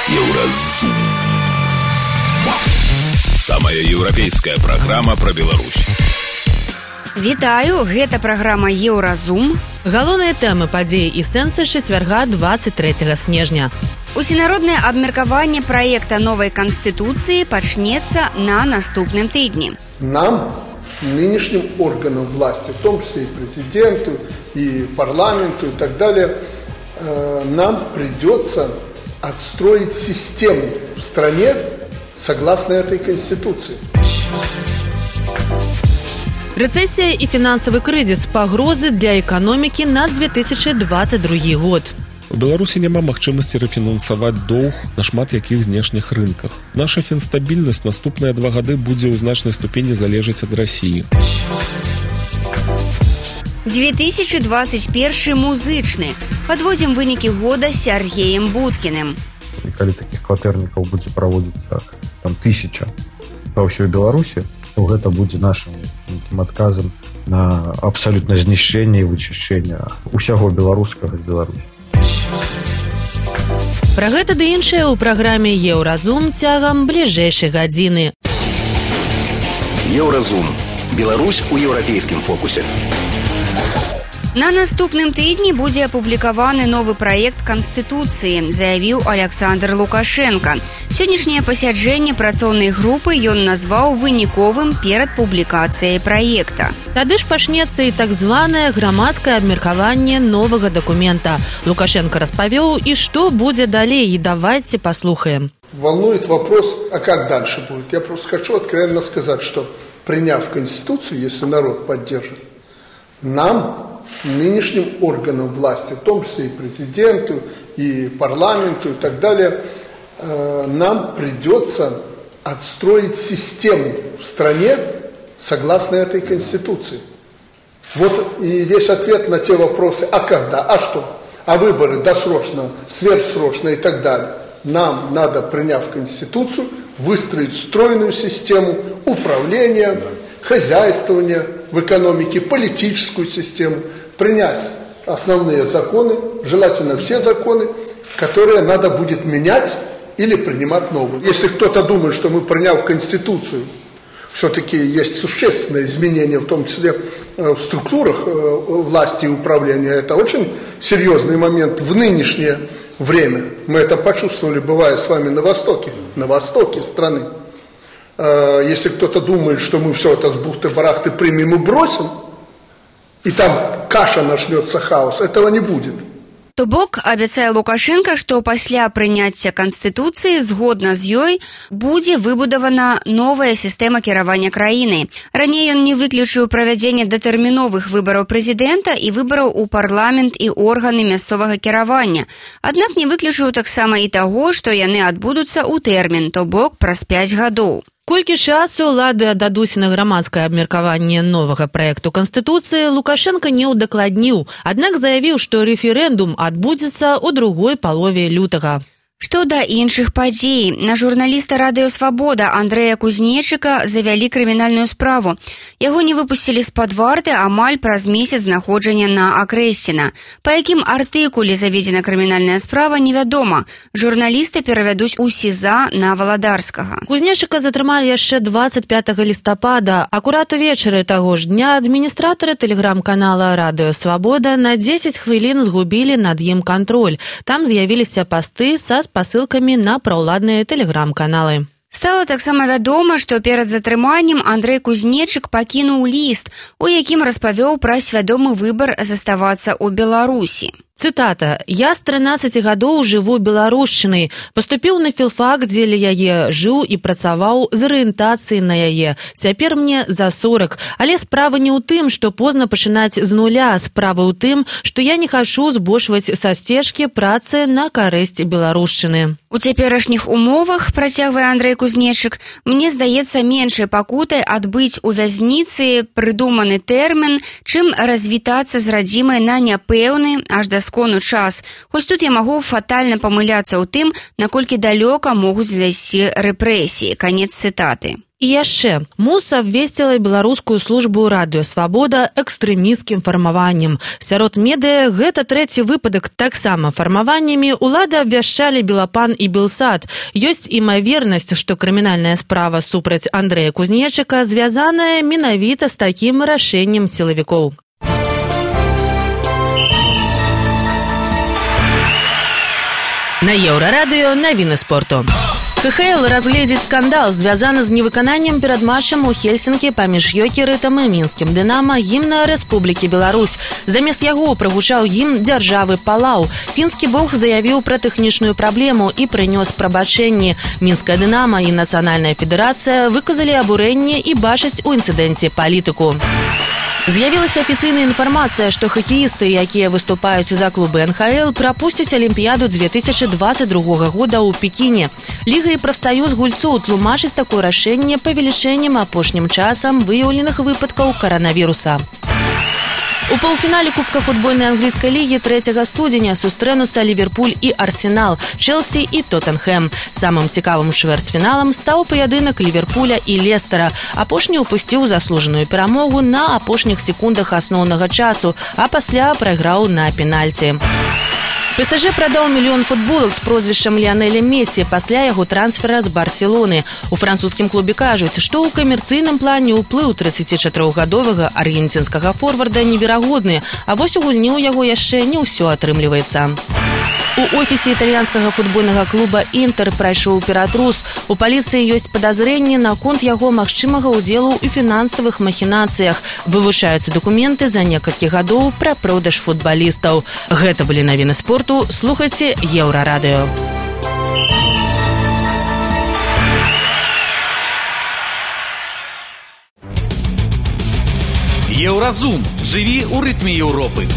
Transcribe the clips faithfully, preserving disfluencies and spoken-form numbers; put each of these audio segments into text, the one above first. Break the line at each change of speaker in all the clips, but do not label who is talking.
Еўразум. Самая еўрапейская праграма пра Беларусь.
Вітаю, гэта праграма Еўразум.
Галоўныя тэмы падзеі і сэнсы чацвярга двадцать трэцяга снежня.
Усенароднае абмеркаванне праекта новай канстытуцыі пачнецца на наступным тыдні.
Нам, нынешним органам власти, в том числе и президенту, и парламенту, и так далее, э, нам придется отстроить систему в стране, согласно этой Конституции.
Рецессия и финансовый кризис – погрозы для экономики на две тысячи двадцать другі год.
У Беларусі няма магчымасці рэфінансаваць доўг на шмат якіх знешніх рынках. Наша фінстабільнасць наступныя два гады будзе ў значнай ступені залежаць ад Расіі.
две тысячи двадцать першы музычны. Подводзім вынікі года з Сергеем Будкіным.
І калі такіх кватэрнікаў будзе праводзіцца там тысяча па ўсёй Беларусі, то гэта будзе нашым нейкім адказам на абсалютна знішчэнне і вычышчэнне усяго беларускага з Беларусі.
Пра гэта ды іншае ў праграме Еўразум цягам бліжэйшай гадзіны.
Еўразум. Беларусь у еўрапейскім фокусе.
На наступным тыдні будзе апублікаваны новы праект Канстытуцыі, заявіў Александр Лукашенко. Сённяшняе пасяджэнне працоўнай групы ён назваў выніковым перад публікацыяй праекта.
Тады ж пачнецца і так званае грамадскае абмеркаванне новага дакумента. Лукашенко распавёў, і што будзе далей, і давайце паслухаем.
Волнует вопрос, а как дальше будет? Я просто хочу откровенно сказать, что приняв Конституцию, если народ поддержит, нам, нынешним органам власти, в том числе и президенту, и парламенту, и так далее, э, нам придется отстроить систему в стране согласно этой Конституции. Вот и весь ответ на те вопросы, а когда, а что, а выборы досрочно, сверхсрочно и так далее. Нам надо, приняв Конституцию, выстроить стройную систему управления, хозяйствования в экономике, политическую систему, принять основные законы, желательно все законы, которые надо будет менять или принимать новые. Если кто-то думает, что мы, приняв Конституцию, все-таки есть существенные изменения, в том числе в структурах власти и управления, это очень серьезный момент в нынешнее время. Мы это почувствовали, бывая с вами на востоке, на востоке страны. Если кто-то думает, что мы все это с бухты-барахты примем и бросим, и там каша начнется, хаос, этого не будет.
То бок, абяцае Лукашенко, што пасля прыняцця Канстытуцыі, згодна з ёй, будзе выбудавана новая сістэма кіравання краінай. Раней ён не выключыў правядзенне датэрміновых выбараў прэзідэнта і выбараў у парламент і органы мясцовага кіравання. Аднак не выключыў таксама і таго, што яны адбудуцца ў тэрмін, то бок праз пяць гадоў.
Колькі часу ўлады аддадуць на грамадскае абмеркаванне новага праекту Канстытуцыі, Лукашенко не ўдакладніў, аднак заявіў, што рэферэндум адбудзецца ў другой палове лютага. Што да іншых падзей, на журналіста Радыё Свабода Андрэя Кузнечыка завялі крымінальную справу. Яго не выпусцілі з-пад варты амаль праз месяц знаходжання на Акрэсціна. Па якім артыкуле заведзена крымінальная справа, невядома. Журналіста перавядуць у СІЗА на Валадарскага. Кузнечыка затрымалі яшчэ двадцать пятага лістапада. Акурат увечары таго ж дня адміністратары тэлеграм-канала Радыё Свабода на дзесяць хвілін згубілі над ім кантроль. Там з'явіліся пасты са спасылкамі на праўладныя тэлеграм-каналы. Стала таксама вядома, што перад затрыманнем Андрэй Кузнечык пакінуў ліст, у якім распавёў пра свядомы выбар заставацца ў Беларусі. Цытата. «Я з трынаццаці гадоў жыву беларушчынай. Паступіў на філфак, дзеля яе жыў і працаваў з арыентацыяй на яе. Цяпер мне за сорак. Але справа не ў тым, што позна пачынаць з нуля. Справа ў тым, што я не хачу збочваць са сцежкі працы на карысць беларушчыны». У цяперашніх умовах, працягвае Андрэй Кузнечык, мне здаецца меншай пакутай адбыць у вязніцы прыдуманы тэрмін, чым развітацца з радзімай на няпэўны, аж да скону час. Хоць тут я магу фатальна памыляцца ў тым, наколькі далёка могуць зайсці рэпрэсіі. Канец цытаты. І яшчэ, МУС абвесціла беларускую службу радыёсвабода экстрэмісцкім фармаваннем. Сярод медыа гэта трэці выпадак. Таксама фармаваннямі ўлады абвяшчалі Белапан і Белсат. Ёсць імавернасць, што крымінальная справа супраць Андрэя Кузнечыка звязаная менавіта з такім рашэннем сілавікоў. На Еўрарадыё навіны спорту. КХЛ разгледзіць скандал, звязаны з невыкананнем перад матчам у Хельсінкі паміж Йокерытам і мінскім Дынама гімна Рэспублікі Беларусь. Замест яго прагучаў гімн дзяржавы Палау. Фінскі бок заявіў пра тэхнічную праблему і прынёс прабачэнні. Мінская Дынама і Нацыянальная федэрацыя выказалі абурэнне і бачаць у інцыдэнце палітыку. З'явілася афіцыйная інфармацыя, што хакеісты, якія выступаюць за клубы эн ха эл, прапусцяць Алімпіяду две тысячи двадцать другога года ў Пекіне. Ліга і прафсаюз гульцоў тлумачыць такое рашэнне павелічэннем апошнім часам выяўленых выпадкаў каранавіруса. У паўфінале Кубка футбольнай англійскай лігі трэцяга студзеня сустрэнуцца Ліверпуль і Арсенал, Чэлсі і Тоттенхэм. Самым цікавым чвэрцьфіналам стаў паядынак Ліверпуля і Лестера. Апошні ўпусціў заслужаную перамогу на апошніх секундах асноўнага часу, а пасля прайграў на пенальці. ПСЖ прадаў мільён футболак з прозвішчам Ліанеля Месі пасля яго трансфера з Барселоны. У французскім клубе кажуць, што ў камерцыйным плане ўплыў трыццацічатырохгадовага аргенцінскага форварда неверагодны, а вось у гульні ў яго яшчэ не ўсё атрымліваецца. У офісе італьянскага футбольнага клуба «Інтэр» прайшоў ператрус. У паліцыі ёсць падазрэнні наконт яго магчымага ўдзелу ў фінансавых махінацыях. Вывучаюцца дакументы за некалькі гадоў пра продаж футбалістаў. Гэта былі навіны спорту. Слухайце Еўрарадыё.
Еўразум. Жыві ў рытме Еўропы.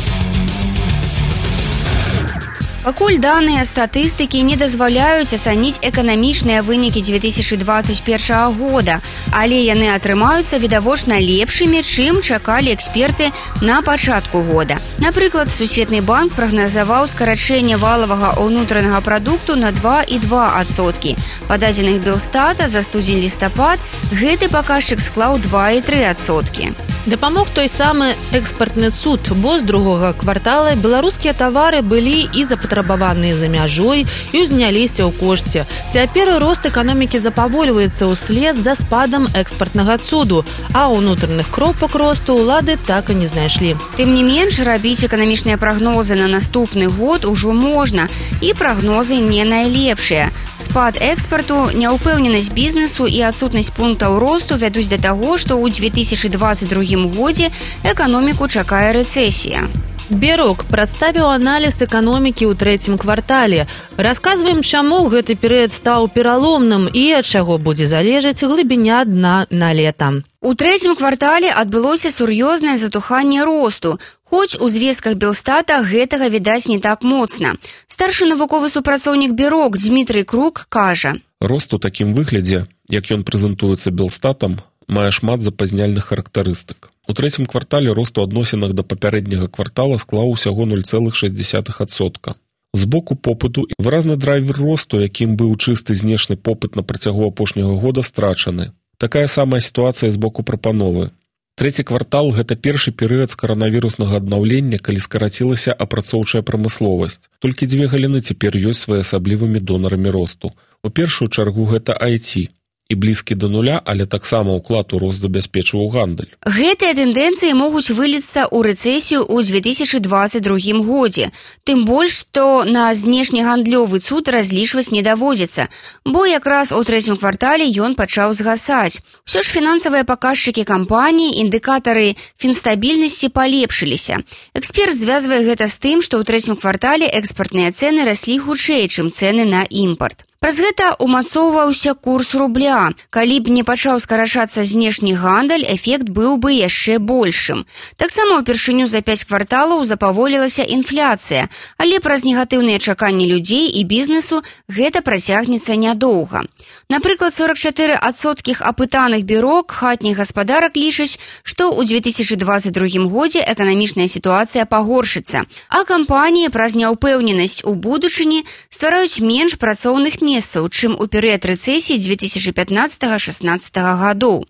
Пакуль даныя статыстыкі не дазваляюць ацаніць эканамічныя вынікі две тысячи двадцать первого года, але яны атрымаюцца відавочна лепшымі, чым чакалі эксперты на пачатку года. Напрыклад, Сусветны банк прагназаваў скарачэнне валавага ўнутранага прадукту на два і два адсоткі. Па дадзеных Белстата за студзень-лістапад гэты паказчык склаў два і тры адсоткі.
Дапамог той самы экспартны цуд, бо з другога квартала беларускія тавары былі і запатрабаваныя за мяжой і ўзняліся ў кошце. Цяпер рост эканомікі запавольваецца ўслед за спадам экспартнага цуду, а ўнутраных кропак росту ўлады так і не знайшлі.
Тым не менш, рабіць эканамічныя прагнозы на наступны год ужо можна, і прагнозы не найлепшыя. Спад экспарту, няўпэўненасць бізнесу і адсутнасць пунктаў росту вядуць да таго, што ў две тысячи двадцать другім годзе эканоміку чакае рэцэсія.
Берок прадставіў аналіз эканомікі ў трэцім квартале. Расказваем, чаму гэты перыяд стаў пераломным і ад чаго будзе залежаць глыбіня дна на лета.
У трэцім квартале адбылося сур'ёзнае затуханне росту, хоць у звестках Белстата гэтага відаць не так моцна. Старшы навуковы супрацоўнік Берок Дмітрый Крук кажа:
рост у такім выглядзе, як ён прэзентуецца Белстатам, мае шмат запазняльных характарыстык. У трэцім квартале рост у адносінах да папярэдняга квартала склаў усяго нуль цэлых шэсць дзесятых адсотка. З боку попыту выразны драйвер росту, якім быў чысты знешні попыт на працягу апошняга года, страчаны. Такая самая сітуацыя з боку прапановы. Трэці квартал – гэта першы перыяд з каранавіруснага аднаўлення, калі скарацілася апрацоўчая прамысловасць. Толькі дзве галіны цяпер ёсць своеасаблівымі донарамі росту. У першую чаргу гэта ай ти. І блізкі да нуля, але таксама ўклад у рост забяспечваў гандаль.
Гэтыя тэндэнцыі могуць выліцца ў рэцэсію ў две тысячи двадцать другім годзе. Тым больш, што на знешнегандлёвы цуд разлічваць не даводзіцца, бо якраз у трэцім квартале ён пачаў згасаць. Усё ж фінансавыя паказчыкі кампаніі, індыкатары фінстабільнасці палепшыліся. Эксперт звязвае гэта з тым, што ў трэцім квартале экспартныя цэны раслі хутчэй, чым цэны на імпарт. Праз гэта умацоўваўся курс рубля. Калі б не пачаў скарачацца знешні гандаль, эфект быў бы яшчэ большым. Таксама ўпершыню за пяць кварталаў запаволілася інфляцыя, але праз негатыўныя чаканні людзей і бізнесу гэта працягнецца нядоўга. Напрыклад, сорок чатыры адсоткі апытаных Берок хатніх гаспадарак лічаць, што ў две тысячи двадцать другім годзе эканамічная сітуацыя пагоршыцца, а кампаніі праз няўпэўненасць у будучыні ствараюць менш працоўных месц месцаў, чым у перыяд рэцэсіі две тысячи пятнадцатага — шестнадцатага гадоў.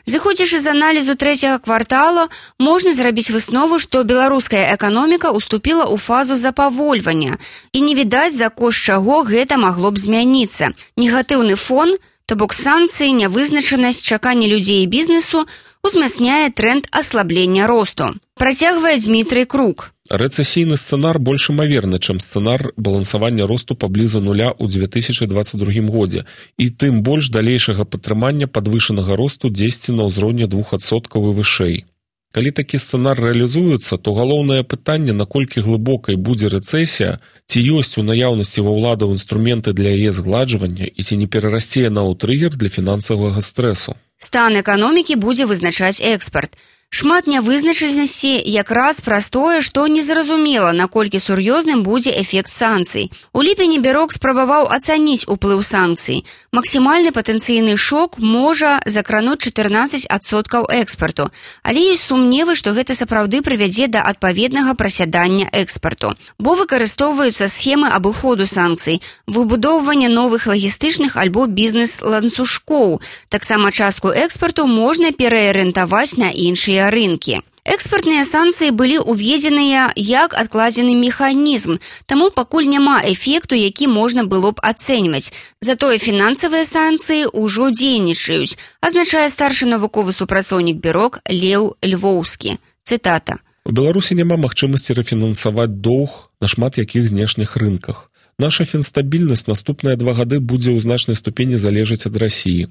Зыходзячы з аналізу трэцяга квартала, можна зрабіць выснову, што беларуская эканоміка уступіла ў фазу запавольвання, і не відаць, за кошт чаго гэта магло б змяніцца. Негатыўны фон, то бок санкцыі, нявызначанасць, чаканне людзей і бізнесу узмацняе тренд аслаблення росту. Працягвае Дмітрый Крук.
Рэцэсійны сцэнар больш імаверны, чым сцэнар балансавання росту паблізу нуля ў две тысячи двадцать другім годзе, і тым больш далейшага падтрымання падвышанага росту дзесьці на ўзроўні двух адсоткаў і вышэй. Калі такі сцэнар рэалізуецца, то галоўнае пытанне, наколькі глыбокай будзе рэцэсія, ці ёсць у наяўнасці ва ўладаў інструменты для яе згладжвання і ці не перарасце яна ў трыгер для фінансавага стрэсу.
Стан эканомікі будзе вызначаць экспарт. Шмат нявызначанасці якраз праз тое, што незразумела, наколькі сур'ёзным будзе эфект санкцый. У ліпені Бюрок спрабаваў ацаніць уплыў санкцый. Максімальны патэнцыйны шок можа закрануць чатырнаццаць адсоткаў экспарту, але ёсць сумневы, што гэта сапраўды прывядзе да адпаведнага прасядання экспарту. Бо выкарыстоўваюцца схемы абыходу санкцый, выбудоўвання новых лагістычных альбо бізнес-ланцужкоў. Таксама частку экспарту можна пераарыентаваць на іншыя рынкі. Экспартныя санкцыі былі уведзеныя як адкладзены механізм, таму пакуль няма эфекту, які можна было б ацэньваць. Затое фінансавыя санкцыі ўжо дзейнічаюць, азначае старшы навуковы супрацоўнік Бюрок Леў Львоўскі. Цытата.
У Беларусі няма магчымасці рэфінансаваць доўг на шмат якіх знешніх рынках. Наша фінстабільнасць наступныя два гады будзе ў значнай ступені залежаць ад Расіі.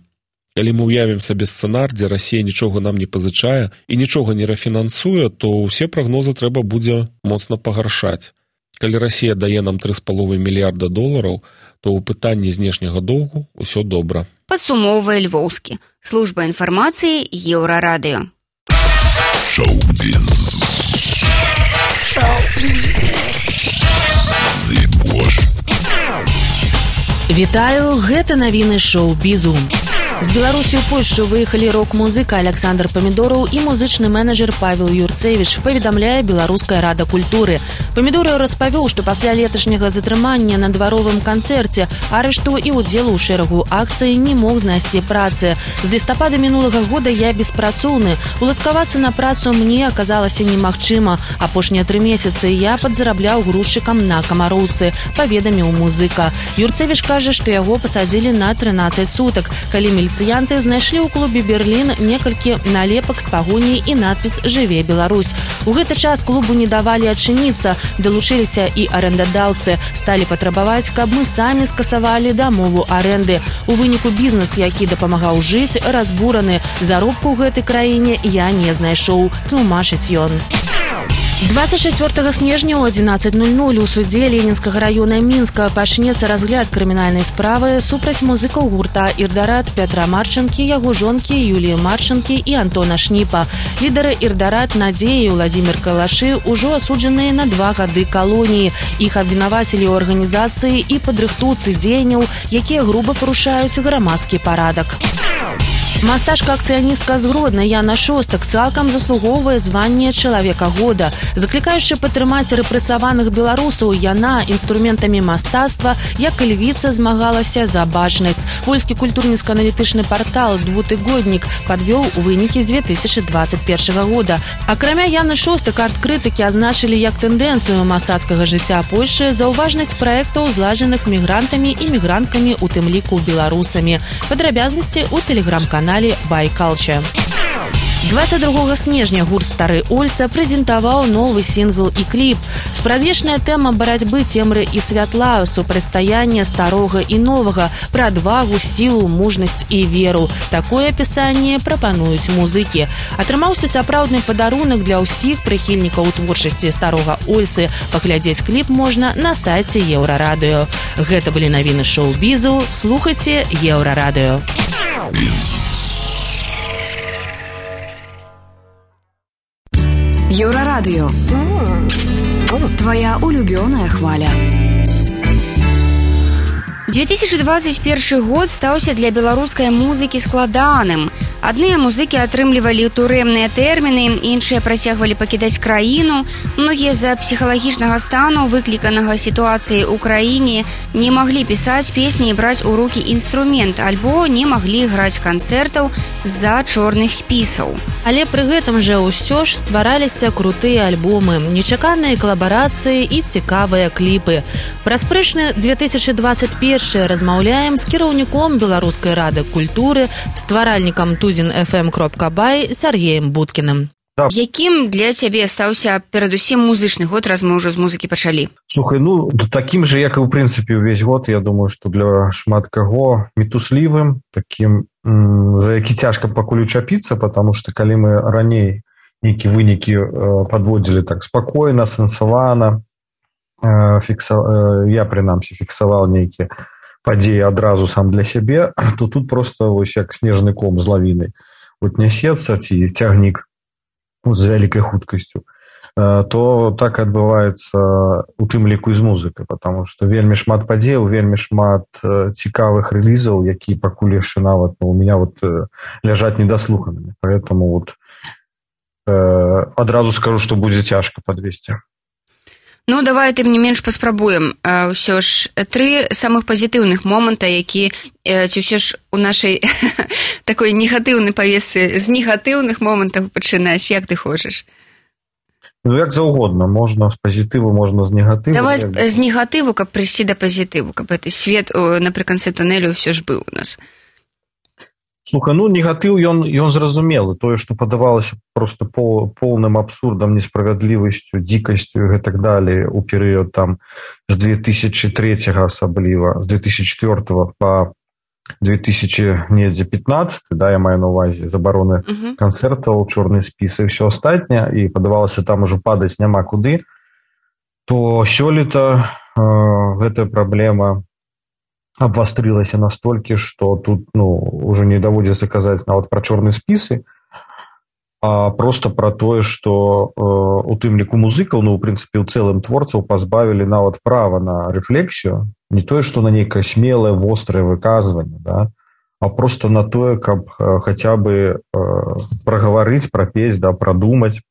Калі мы ўявім сабе сцэнар, дзе Расія нічога нам не пазычае і нічога не рэфінансуе, то ўсе прагнозы трэба будзе моцна пагаршаць. Калі Расія дае нам тры з паловай мільярда долараў, то ў пытанні знешняга доўгу ўсё добра.
Падсумоўвае Львоўскі. Служба інфармацыі Еўрарадыё.
Шоу-біз. Шоу-біз. Зыбож.
Вітаю, гэта навіны шоу-бізу. З Беларусі ў Польшчу выехалі рок-музыка Александр Памідораў і музычны менеджер Павел Юрцевіч, паведамляе Беларуская рада культуры. Памідораў распавёў, што пасля леташняга затрымання на дваровым канцэрце, арышту і ўдзелу ў шэрагу акцый не мог знайсці працы. З лістапада мінулага года я беспрацоўны. Уладкавацца на працу мне аказалася немагчыма. Апошнія тры месяцы я падзарабляў грузчыкам на Камароўцы, паведаміў музыка. Юрцевіч кажа, што яго пасадзілі на трынаццаць сутак, калі міліцыянты знайшлі ў клубе «Берлін» некалькі налепак з пагоняй і надпіс «Жыве Беларусь». У гэты час клубу не давалі адчыніцца, далучыліся і арэндадаўцы, сталі патрабаваць, каб мы самі скасавалі дамову арэнды. У выніку бізнес, які дапамагаў жыць, разбураны. Заробку ў гэтай краіне я не знайшоў, тлумачыць ён. двадцать чацвёртага снежня ў адзінаццаць нуль нуль у судзе Ленінскага раёна Мінска пачнецца разгляд крымінальнай справы супраць музыкаў гурта «Ірдарат» Пятра Марчанкі, яго жонкі Юліі Марчанкі і Антона Шніпа. Лідары «Ірдарат» Надзея і Владзімір Калашы ўжо асуджаныя на два гады калоніі. Іх абвінавацілі ў арганізацыі і падрыхтоўцы дзеянняў, якія груба парушаюць грамадскі парадак. Мастачка-акцыяністка з Гродна Яна Шостак цалкам заслугоўвае званне чалавека года. Заклікаючы падтрымаць рэпрэсаваных беларусаў, яна інструментамі мастацтва, як і львіца, змагалася за бачнасць. Польскі культурніцка-аналітычны партал «Двутыгоднік» падвёў вынікі две тысячи двадцать першага года. Акрамя Яны Шостак, арт-крытыкі азначылі як тэндэнцыю мастацкага жыцця Польшы заўважнасць праектаў, зладжаных мігрантамі і мігранткамі, у тым ліку беларусамі. Падрабязнасці ў тэлеграм-канале «Байкалча». двадцать другога снежня гурт «Стары Ольца» прэзентаваў новы сінгл і кліп. Спрадвечная тэма барацьбы цемры і святла, супрацьстаяння старога і новага, пра адвагу, сілу, мужнасць і веру. Такое апісанне прапануюць музыкі. Атрымаўся сапраўдны падарунак для ўсіх прыхільнікаў творчасці «Старога Ольцы». Паглядзець кліп можна на сайце Еўрарадыё. Гэта былі навіны шоу-бізу. Слухайце Еўрарадыё.
Еўрарадыё. Твоя улюбёная хваля.
две тысячи двадцать первый год стаўся для беларускай музыкі складаным. Адныя музыкі атрымлівалі турэмныя тэрміны, іншыя працягвалі пакідаць краіну. Многія з-за псіхалагічнага стану, выкліканага сітуацыяй у краіне, не маглі пісаць песні і браць у рукі інструмент, альбо не маглі граць канцэртаў з-за чорных спісаў.
Але пры гэтым жа ўсё ж ствараліся крутыя альбомы, нечаканыя калабарацыі і цікавыя кліпы. Пра спрэчны две тысячи двадцать первый размаўляем з кіраўніком Беларускай рады культуры, стваральнікам тузін эф эм кропка бай Сергеем Будкіным.
Да. Якім для цябе стаўся перадусім музычны год, раз мы ўжо з музыкі пачалі?
Слухай, ну, такім же, як і ў прынцыпе ўвесь год, я думаю, што для шмат каго мітуслівым, такім, м- за які цяжка пакуль учапіцца, потому што калі мы раней нейкія вынікі э, падводзілі так спакойна, сэнсавана, э, фікса... э, я, прынамсі, фіксаваў нейкія падзеі адразу сам для сябе, то тут просто вось як снежны ком з лавінай вот нясецца ці цягнік з вялікай хуткасцю, то так адбываецца у тым ліку і з музыкай, потому што вельмі шмат падзеяў, вельмі шмат цікавых рэлізаў, якія пакуль яшчэ нават ну, у меня вот ляжаць недаслуханымі, поэтому вот адразу скажу, што будзе цяжка падвесці.
Ну, давай, тым не менш, паспрабуем. Ўсё ж, тры самых пазітыўных моманта, які, ці ўсё ж у нашай такой негатыўнай павесцы з негатыўных момантаў пачынаць, як ты хочаш?
Ну, як заўгодна. Можна з пазітыву, можна з негатыву.
Давай
як...
з негатыву, каб прыйсці да пазітыву, каб гэты свет напрыканцы тунелю ўсё ж быў у нас.
Слухай, ну, негатыў, ён, ён зразумелы. Тое, што падавалася проста пол, полным абсурдам, несправядлівасцю, дзікасцю і гэтак далей у перыяд там з две тысячи третьего асабліва, з две тысячи четвёртого па две тысячи пятнадцатый, да, я маю на увазе, забароны uh-huh. канцэртаў, чорныя спісы і ўсё астатняе, і падавалася там ужо падаць няма куды, то сёлета э, гэтая праблема абвастрылася настолькі, што тут ну, уже не даводзіцца казаць нават пра чорныя спісы, а просто пра тое, што э, у тым ліку музыкаў, ну, у прынцыпе, ў цэлым творцаў пазбавілі нават права на рэфлексію, не тое, што на нейкае смелае, вострае выказванне, да, а просто на тое, каб э, хаця бы э, прагаварыць, прапець, да, прадумаць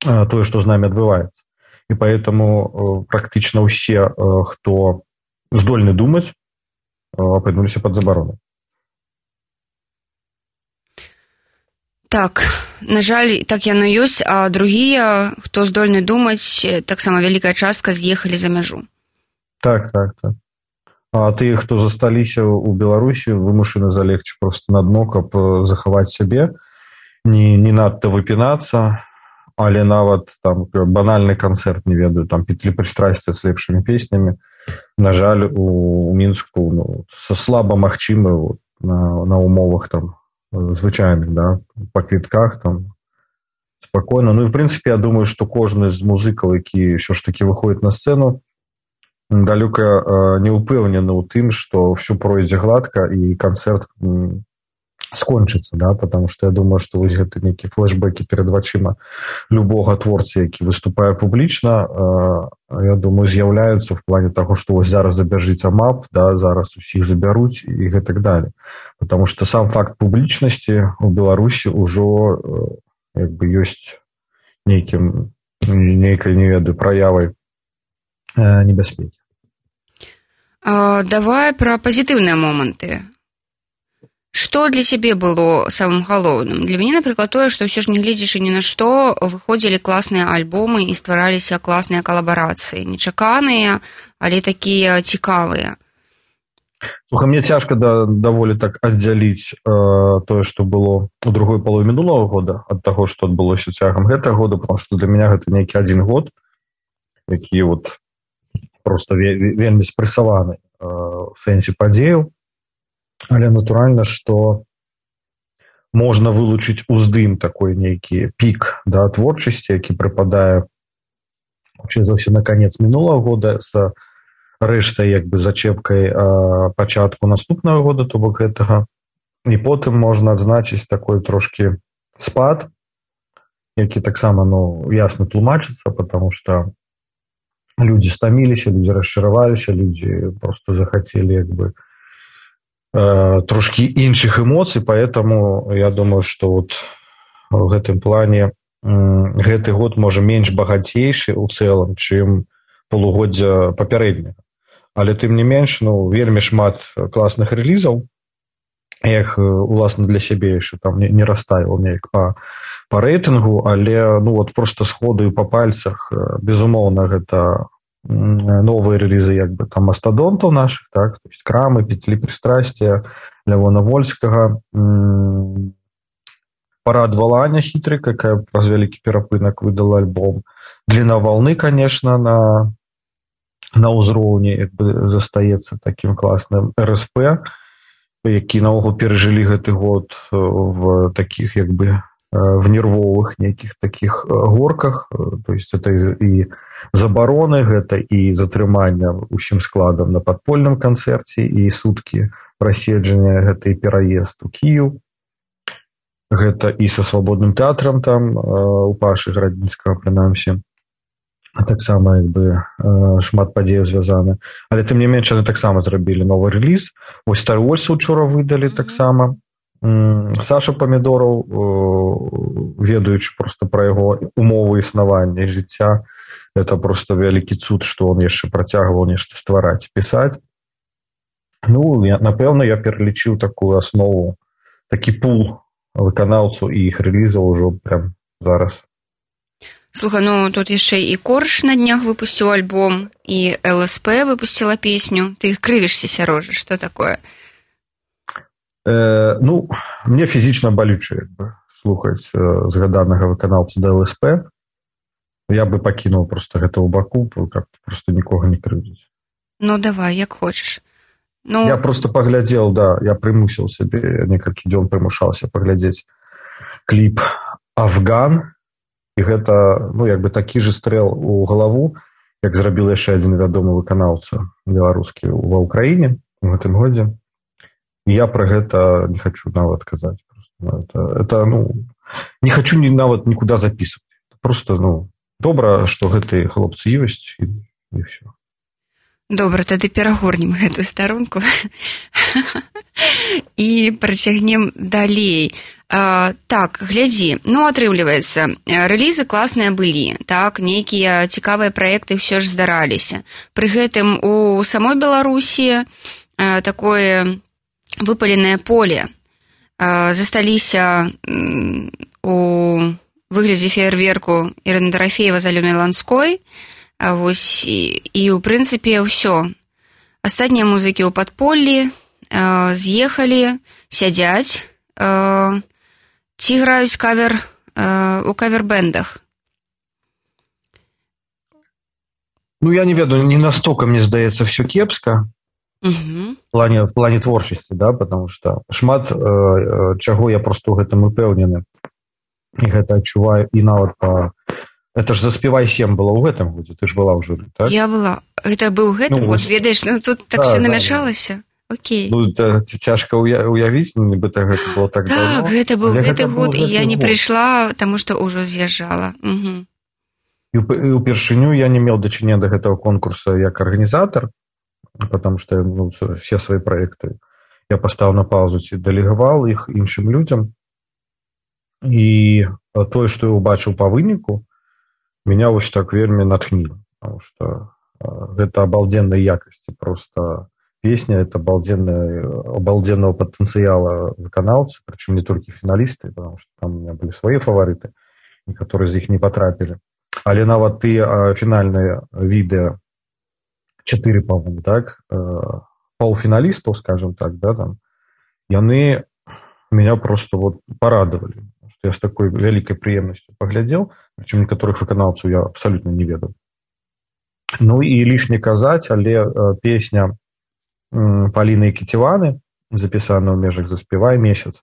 э, тое, што з намі адбываецца. І поэтому э, практычна ўсе, э, хто здольны думаць, апынуліся пад забарону.
Так, на жаль, так яно ёсць, а другія, хто здольны думаць, таксама вялікая частка з'ехалі за мяжу.
Так, так, так. А тыя, хто засталіся ў Беларусі, вымушаны залегчы проста на дно, каб захаваць сябе, не, не надта выпінацца, але нават там банальны канцэрт, не ведаю, там петлі прыстрасця з лепшымі песнямі, на жаль, у, у Мінску ну, слаба магчымы вот, на, на умовах там звычайных, да, па квітках там спакойна. Ну і в прынцыпе, я думаю, што кожны з музыкаў, які ўсё ж такі выходзіць на сцэну, далёка э, не ўпэўнены ў тым, што ўсё пройдзе гладка і канцэрт м, скончыцца, да, потому что я думаю, што вось гэты нейкі флешбекі перад вачыма любога творца, які выступае публічна, э, я думаю, з'яўляюцца в плане таго, што вось зараз забяжыць амап, да, зараз усіх забяруць і гэтак далее. Потому что сам факт публічнасці у Беларусі ўжо э, як бы ёсць нейкім нейкай, не ведаю, праявай э, небяспекі.
А, давай пра пазітыўныя моманты. Што для цябе было самым галоўным? Для мяне, напрыклад, тое, што ўсё ж не гледзячы ні на што, выходзілі класныя альбомы і ствараліся класныя калабарацыі. Нечаканыя, але такія цікавыя.
Слухай, мне цяжка да, даволі так аддзяліць э, тое, што было у другой палове мінулага года ад таго, што адбылося цягам гэтага года, потому што для мяне гэта нейкі адзін год, які вот проста вельмі спрэсаваны э, в сэнсе падзеяў. Але натуральна, што можна вылучыць уздым такой нейкі пік да, творчасці, які прыпадае хутчэй за ўсё на канец мінулага года з рэштай як бы зачэпкай а, пачатку наступнага года, то бок гэтага. І потым можна адзначыць такой трошкі спад, які таксама ну, ясна тлумачыцца, потому што люди стаміліся, люди расчараваліся, люди просто захацелі як бы э, трошки іншых эмоцый, поэтому я думаю, что вот в гэтым плане гэты год можа менш багацейшы ў цэлым, чым полугоддзя папярэдняга. Але тым не менш, ну, вельмі шмат класных рэлізаў. Я іх, уласна, для сябе яшчэ там не, не расставіў неяк па, па рэйтынгу, але ну, вот просто сходу і па пальцах, безумоўна, гэта новыя рэлізы як бы там мастадонтаў нашых, так, то есть Крамы, Петлі прыстрасця, Лявона Вольскага, Парад Валаня хітры, якая праз вялікі перапынак выдала альбом. Дліна волны, конечно, на, на ўзроўні як бы застаецца такім класным эр эс пэ, які наогул перажылі гэты год в таких як бы в нервовых нейкіх таких горках, то есть это і забароны, гэта і затрымання усім складам на падпольным канцэрце, і суткі праседжання, гэта і пераезд у Кіеў, гэта і са свабодным тэатрам там у Пашы Градзінскага, прынамсі, таксама як бы шмат падзеяў звязаны. Але тым не менш, яны таксама зрабілі новы рэліз. Вось Star Wars учора выдалі таксама. Саша Памідораў, ведаючы просто пра яго умовы існавання і жыцця, это просто вялікі цуд, што он яшчэ працягваў нешта ствараць, пісаць. Ну, я, напэўна, я пералічыў такую аснову, такі пул выканаўцаў і іх рэлізаў ужо прям зараз.
Слухай, ну тут яшчэ і Корж на днях выпусціў альбом, і эл эс пэ выпусціла песню. Ты крывішся, Сярожа, што такое?
Э, ну, мне фізічна балюча як бы слухаць э, згаданага выканаўца да эл эс пэ. Я бы пакінуў просто гэта ў баку, каб просто нікога не крыўдзіць.
Ну, давай, як хочаш. Ну...
Я просто паглядзеў, да, я прымусіў сябе, некалькі дзён прымушаўся паглядзець кліп «Афган», і гэта, ну, як бы такі же стрэл у галаву, як зрабіў яшчэ адзін вядомы выканаўца беларускі ва ўкраіне у гэтым годзе. І я пра гэта не хачу нават казаць. Просто, это, это, ну, не хачу ні, нават нікуды запісваць. Просто, ну, добра, што гэтыя хлопцы ёсць, і, і ўсё.
Добра, тады перагорнем гэтую старонку і працягнем далей. А, так, глядзі, ну, атрымліваецца, рэлізы класныя былі, так, нейкія цікавыя праекты ўсё ж здараліся. Пры гэтым у самой Беларусі а, такое выпаленае поле. А, засталіся м, у выглядзе феерверку Ірыны Дарафеева з Алёнай Ланской. А вось, і, і ў прынцыпе ўсё. Астатнія музыкі ў падполлі э, з'ехалі, сядзяць, э, ці граюць кавер э, у кавер-бэндах.
Ну, я не ведаю, не настолько, мне здаецца, все кепска.
Угу.
В плане, в плане творчасці, да, потому что шмат э, чаго я просто ў гэтым упэўнены. І гэта адчуваю, і нават па... Это ж «Заспевай сем» было ў гэтым годзе, ты ж была ў журы, так?
Я была. Гэта быў гэтым
ну,
год, ведаеш, ну тут так
да,
все
да,
намяшалася. Да. Окей.
Ну, это цяжка уявіць, нібыта гэта было так,
так
давно.
Так, гэта быў гэты год, і я не
год.
прыйшла, таму што ўжо з'язджала. Угу.
І ўпершыню я не меў дачынення да гэтага конкурса як арганізатар, потому што ну, все свае праекты я паставіў на паузу ці дэлегаваў іх іншым людзям. І тое, што я ўбачыў па выніку, меня вось так вельмі натхніло, потому что гэта абалденной якасці просто песня, это абалденная, абалденного потенциала выканаўцы, причем не только финалисты, потому что там у меня были свои фавориты, некоторые из них не потрапили. Але нават ты фінальныя відэа чатыры, по-моему, так, полуфиналистов, скажем так, да, там, яны меня просто вот порадовали. Я с такой вялікай прыемнасцю паглядзеў, причем некаторых выканаўцаў я абсолютно не ведаў. Ну і лішне казаць, але э, песня э, Паліны Кітіваны, запісаная ў межах «Заспевай месяц»,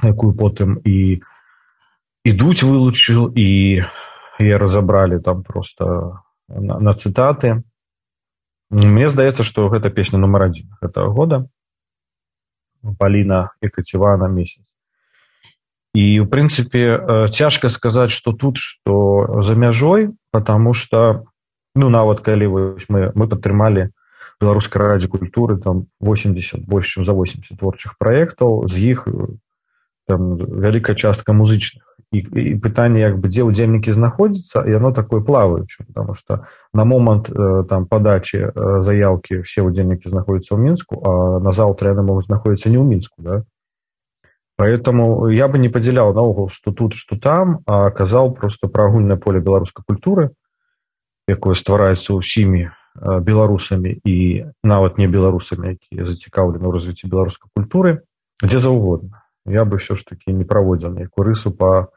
якую потым і ідуць вылучыў, і яе разабралі там просто на, на цытаты. Мне здаецца, што гэта песня нумар адзін гэтага года. Паліна Кітівана «Месяц». И, в принципе, цяжко сказать, что тут, что за мяжой, потому что Ну, нават калі мы, мы падтрымалі Беларускай радзе культуры там восемьдесят, больш чым за восемьдесят творчых праектаў, з іх там вялікая частка музычных. І, і пытанне, як бы, дзе ўдзельнікі знаходзяцца, яно такое плаваючае, потому что на момант там падачы заяўкі все ўдзельнікі знаходзяцца ў Мінску, а на заўтра яны могуць знаходзіцца не ў Мінску, да? Поэтому я бы не падзяляў наогул, што тут, што там, а казаў просто пра агульнае поле беларускай культуры, якое ствараецца ўсімі беларусамі і нават не беларусамі, якія зацікаўлены ў развіцці беларускай культуры, дзе заўгодна. Я бы все ж таки не праводзіў ніякую рысу па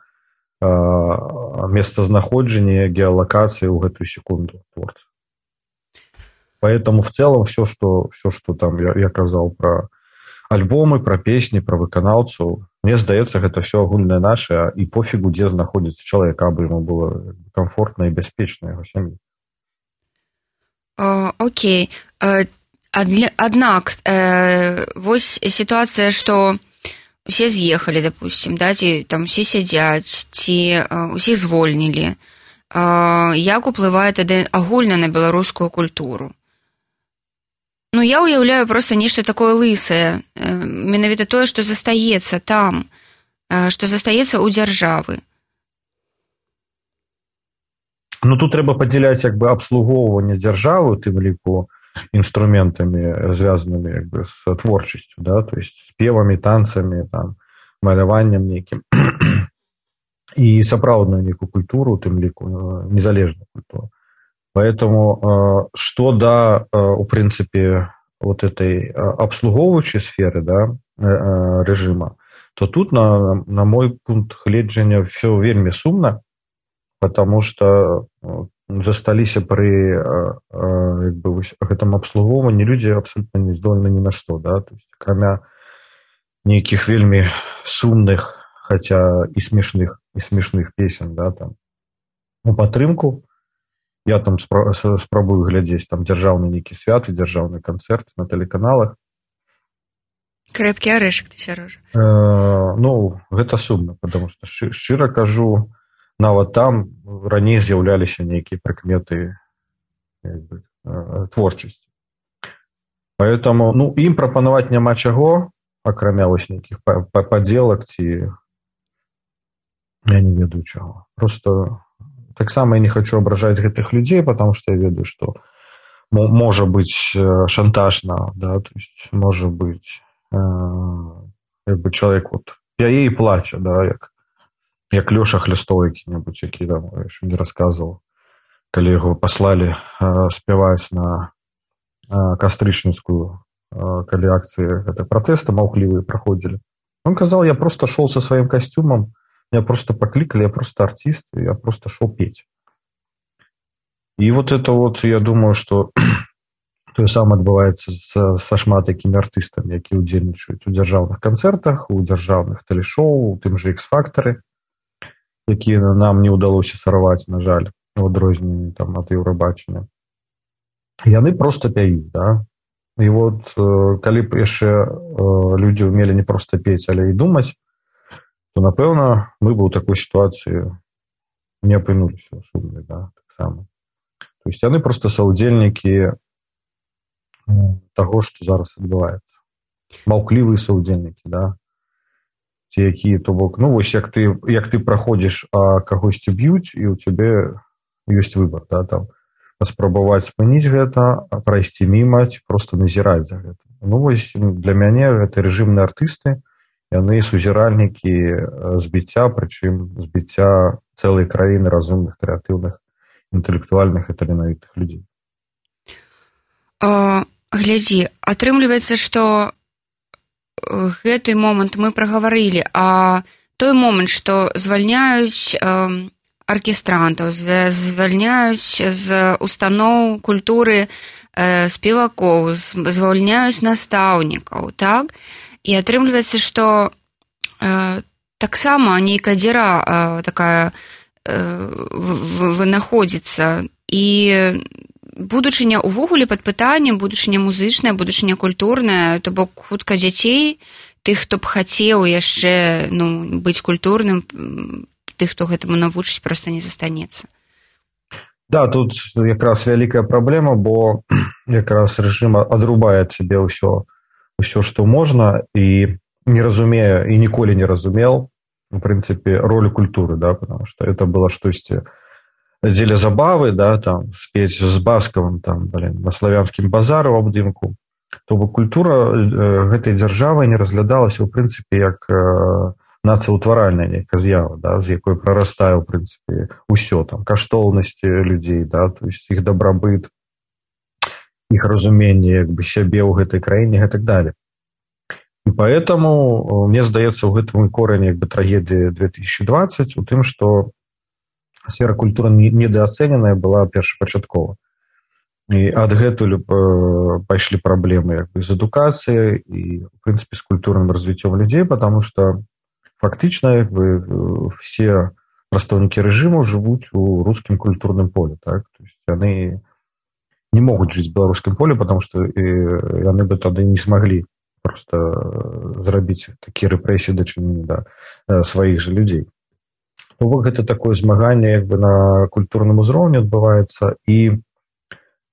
месцазнаходжанні, геалокацыі ў гэтую секунду творца. Поэтому в целом все, что, все, что там я, я казал про альбомы, про песни, про выканаўцаў, мне здаецца, гэта все агульнае наше, і пофігу, дзе знаходзіцца чалавек, абы ему было комфортна і бяспечна яго сям'і.
Окей. Аднак, вось сітуацыя, што усе з'ехалі, допустим, да, ці там усе сядзяць, ці усіх звольнілі. Як уплывае тады агульна на беларускую культуру? Ну, я уяўляю проста нешта такое лысае, менавіта тое, што застаецца там, што застаецца ў дзяржавы.
Ну, тут трэба падзяляць, як бы, абслугоўванне дзяржавы, тым ліку, инструментами, связанными, как бы, с творчестью, да, то есть с певами, танцами, там, маляваннем неким. И сапраўдную некую культуру, тым ліку, незалежную культуру. Поэтому, что да, в принципе, вот этой обслуговывающей сферы, да, режима, то тут, на, на мой пункт гледжання, все вельмі сумна, потому что засталіся пры як бы, гэтым абслугоўванні людзі абсолютно не здольны ні на што, да? То есть, акрамя нейкіх вельмі сумных, хаця і смешных, і смешных песен, да, там, у падтрымку. Я там спра- спрабую глядзець там дзяржаўны нейкі святы, дзяржаўны канцэрт на тэлеканалах.
Крэпкі арэшак, ты, Сярожа.
Э, ну, гэта сумна, потому что шчы- шчыра кажу, нават там раней з'яўляліся нейкія прыкметы, як бы, творчасці. Поэтому, ну, ім прапанаваць няма чаго, акрамя вось нейкіх падзелак ці я не ведаю чаго. Просто таксама я не хочу абражаць гэтых людзей, потому что я ведаю, что можа быць шантажна, да, то есть можа быць э, як бы чалавек вот пяе і плача, да, як як Лёша Хлястов які-небудзь, які там яшчэ не расказваў, калі яго паслалі э, спяваць на э, кастрычніцкую, э, калі акцыі гэтай пратэста маўклівыя праходзілі. Он казаў, я просто шел со сваім касцюмам, меня просто покликали, я просто артист, я просто шел петь. И вот это вот, я думаю, что то самае адбываецца са, са шмат якімі артыстамі, якія ўдзельнічаюць у дзяржаўных канцэртах, у дзяржаўных тэлешоу, у тым же X-фактары, якія нам не ўдалося сарваць, на жаль, у адрозненні там ад Еўрабачання. Яны просто пяюць, да. І вот калі б яшчэ людзі ўмелі не проста пець, але і думаць, то, напэўна, мы бы ў такой сітуацыі не апынуліся ў сумнай, да, таксама. То есть яны просто саўдзельнікі таго, што зараз адбываецца. Маўклівыя саўдзельнікі, да. Ці якія, то бок, ну, вось як ты, як ты праходзіш, а кагосьці б'юць, і ў цябе ёсць выбар, да, там, паспрабаваць спыніць гэта, прайсці міма, ці проста назіраць за гэта. Ну, вось для мяне гэта рэжымныя артысты, яны сузіральнікі збіцця, прычым збіцця цэлай краіны разумных, крэатыўных, інтэлектуальных і таленавітых людзей.
А, глядзі, атрымліваецца, што гэты момант мы прагаварылі, а той момант, што звальняюць э, аркестрантаў, звальняюць з устаноў культуры э, спевакоў, звальняюць настаўнікаў, так? І атрымліваецца, што э, таксама нейкая дзіра э, такая э, вынаходзіцца, і будучыня увогуле пад пытаннем, будучыня музычная, будучыня культурная, то бок хутка дзяцей, тых, хто б хацеў яшчэ, ну, быць культурным, тых, хто гэтаму навучыць, проста не застанецца.
Да, тут якраз вялікая праблема, бо якраз рэжым адрубае ад сябе ўсё, ўсё, што можна, і не разумее, і ніколі не разумел, в прынцыпе, ролю культуры, да, потому что это было штосьці дзеля забавы, да, там, спець з Баскавым, там, блин, на славянскім базары ў абдымку. То бок культура гэтай дзяржавы не разглядалася, ў прынцыпе, як нацыяўтваральная нейкая з'ява, да, з якой прарастае, ў прынцыпе, усё, там, каштоўнасці людзей, да, то есть іх дабрабыт, іх разуменне, як бы, сябе ў гэтай краіне і так далее. І поэтому, мне здаецца, у гэтым корень, як бы, трагедыі две тысячи двадцать, у тым, што сфера культуры недооцененая была першапачаткова. І адгэтуль пайшлі праблемы, як бы, з адукацыяй і, в прынцыпе, з культурным развіццём людзей, потому что фактично, як бы, все прадстаўнікі рэжыму жывуць у рускім культурным поле, так? То есть яны не могуць жыць в беларускім поле, потому что яны бы тады не смаглі просто зрабіць такія рэпрэсіі дачынення да сваіх жа людзей. То бок гэта такое змаганне, як бы, на культурным узроўні адбываецца, і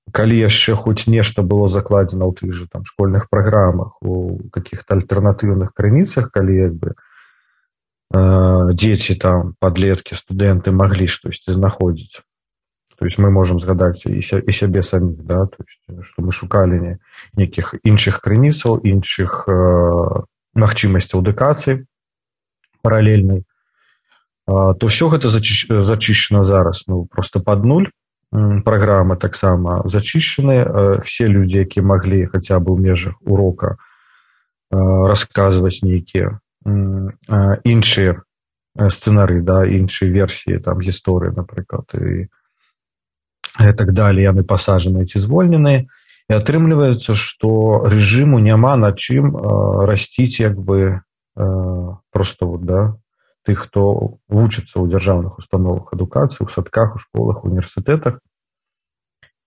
калі яшчэ хоць нешта было закладзена ў тых жа там школьных праграмах, у каких-то альтэрнатыўных крыніцах, калі, як бы, дзеці, там, падлеткі, студэнты маглі штосьці знаходзіць. То есть мы можем згадаць і сябе саміх, да, то есть, што мы шукалі нейкіх іншых крыніцаў, іншых магчымасцяў адукацыі паралельнай, то ўсё гэта зачышчана зараз, ну, просто пад нуль. Праграмы таксама зачышчаны, все людзі, якія маглі хаця бы ў межах урока расказваць нейкія іншыя сцэнары, да, іншыя версіі, там, гісторыі, напрыклад, і і так далее, яны пасажаныя ці звольненыя, і атрымліваецца, што рэжыму няма на чым расціць, як бы, просто вот, да, тых, хто вучыцца ў дзяржаўных установах адукацыі, у садках, у школах, у універсітэтах.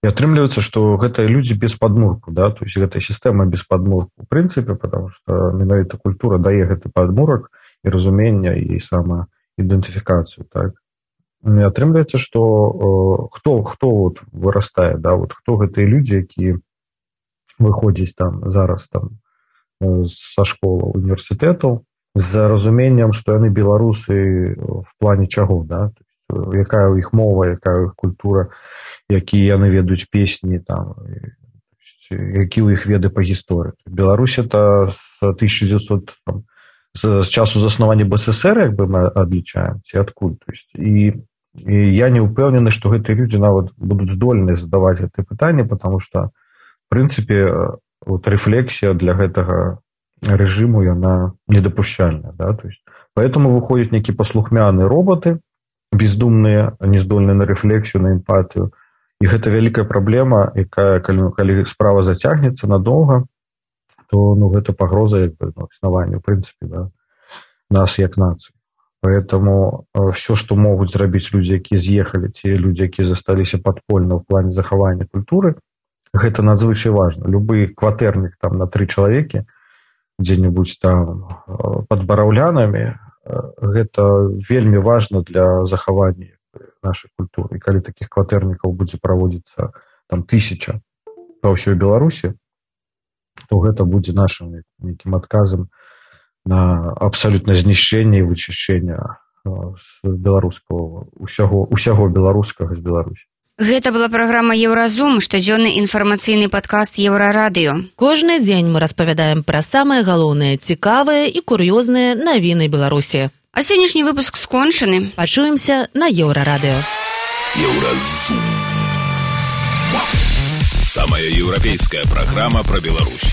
І атрымліваецца, што гэтыя людзі без падмурку, да, то есть гэтая сістэма без падмурку, у прынцыпе, потому што менавіта культура дае гэты падмурак і разумення, і самаідэнтыфікацыю, так. І атрымліваецца, што хто, хто вот вырастае, да, вот хто гэтыя людзі, якія выходзяць там зараз там са школаў, універсітэтаў, з разуменнем, што яны беларусы в плане чаго, да, якая ў іх мова, якая ў іх культура, якія яны ведаюць песні, там, які ў іх веды па гісторыі. Беларусь это з тысяча девятьсот, там, з часу заснавання БССР, як бы мы адлічаем, ці адкуль, то есть, і І я не ўпэўнены, што гэтыя людзі нават будуць здольныя задаваць гэтыя пытанні, потому што, в прынцыпе, вот, рэфлексія для гэтага рэжыму, яна недапушчальная. Да? То есть, поэтому выходзяць нейкі паслухмяныя роботы, бездумныя, нездольныя на рэфлексію, на эмпатыю. І гэта вялікая праблема, якая, калі, калі справа зацягнецца надоўга, то, ну, гэта пагроза, як бы, ну, існаванню, в прынцыпе, да, нас як нацыі. Поэтому все, что могут зрабіць людзі, якія з'ехалі, ці людзі, якія засталіся падпольна ў плане захавання культуры, гэта надзвычай важна. Любы кватэрнік там на тры чалавекі, дзе-небудзь там пад бараўлянамі, гэта вельмі важна для захавання нашай культуры. І калі такіх кватэрнікаў будзе праводзіцца там тысяча па ўсёй Беларусі, то гэта будзе нашым нейкім адказам на абсолютно знішчэнне і вычышчэння беларускага, усяго, усяго беларускага з Беларусі.
Гэта была праграма «Еўразум», штодзённы інфармацыйны падкаст «Еўрарадыё».
Кожны дзень мы распавядаем пра самыя галоўныя, цікавыя і кур'ёзныя навіны Беларусі.
А сённяшні выпуск скончаны.
Пачуемся на Еўрарадыё.
Еўразум. Самая еўрапейская праграма пра Беларусь.